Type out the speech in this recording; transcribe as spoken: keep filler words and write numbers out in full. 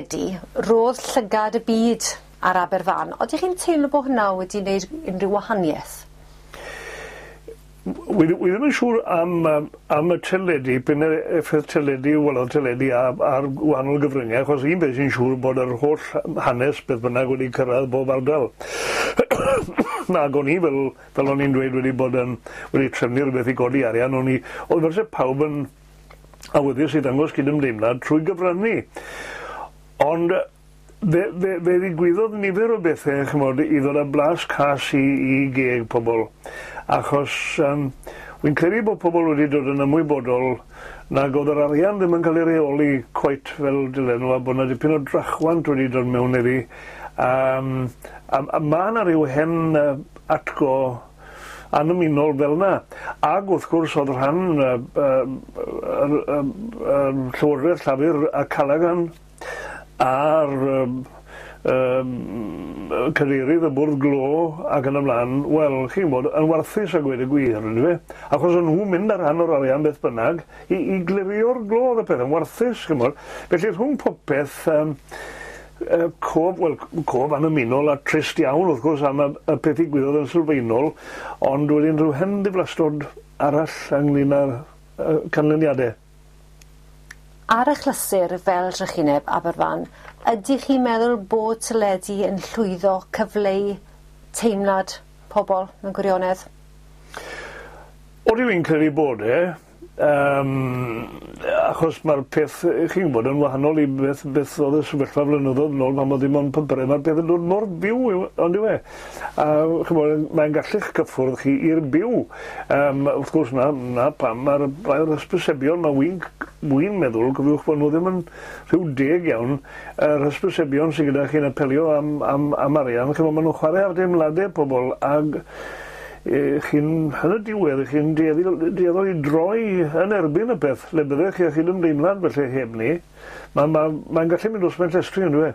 Teledu, roedd llygad y byd ar Aberfan. Oeddech chi'n teimlo bod hwnna wedi wneud unrhyw wahaniaeth? Wi, wi ddim yn siŵr am, um, am y teledu, p'un effaith teledu, welodd teledu ar, ar wahanol gyfryngau, achos un beth sy'n siŵr bod yr holl hanes beth bynnag wedi cyrraedd bob ardal. Ac o'n i, fel, fel o'n i'n dweud, wedi bod yn, wedi trefnu rhywbeth i godi arian, o'n i, oedd fel se pawb yn awyddus i ddangos cydymdeimlad trwy gyfrannu. Ond fe, fe, fe ddigwyddodd nifer o bethau, ch'mod, i ddod â blas cas i, i geg pobl. Achos um, wy'n credu bod pobl wedi dod yn ymwybodol nag oedd yr arian ddim yn cael ei reoli cweit fel dylen nhw, a bod 'na dipyn o drachwant wedi dod mewn iddi. Um, a, a ma' 'na ryw hen uh, atgo annymunol fel 'na. Ag wrth gwrs oedd rhan uh, uh, uh, uh, uh, Llywodraeth Llafur a Callaghan a'r um, um, cadeirydd y bwrdd glo ac yn y blaen, wel, chi'n gwybod, yn warthus a gweud y gwir, yndyfe? Achos o'n nhw'n mynd ar rhan o'r arian beth bynnag i, i glirio'r glo oedd y peth yn warthus, chi'n gwybod. Felly rhwng popeth, um, uh, cof, wel, cof annymunol a trist iawn, wrth gwrs, am y, y peth ddigwyddodd yn sylfaenol, ond wedyn rhyw hen ddiflastod arall ynglyn â'r uh, canlyniadau. Ar achlysur fel trychineb Aberfan, ydych chi'n meddwl bod teledu yn llwyddo cyfleu teimlad pobl mewn gwirionedd? Odi, fi'n credu bod e, um, achos mae'r peth, chi'n gwybod, yn wahanol i beth, beth oedd y sefyllfa flynyddoedd nôl pan oedd dim ond papurau, mae'r peth yn dod mor byw, ond yw e? A ch'mod, mae'n gallu'ch cyffwrdd chi i'r byw. Um, wrth gwrs, na, na pam mae'r mae'r hysbysebion, mae wy'n wy'n meddwl, cofiwch bod nhw ddim yn rhyw deg iawn, yr hysbysebion sydd gyda chi'n apelio am, am, am arian, ch'mod, maen nhw'n chwarae ar deimladau pobl, ag e, chi'n, yn y diwedd, chi'n dueddol i droi yn erbyn y peth, le byddech chi â chydymdeimlad felly heb ni. Mae'n ma, ma gallu mynd dros ben llestri, on'd yw e?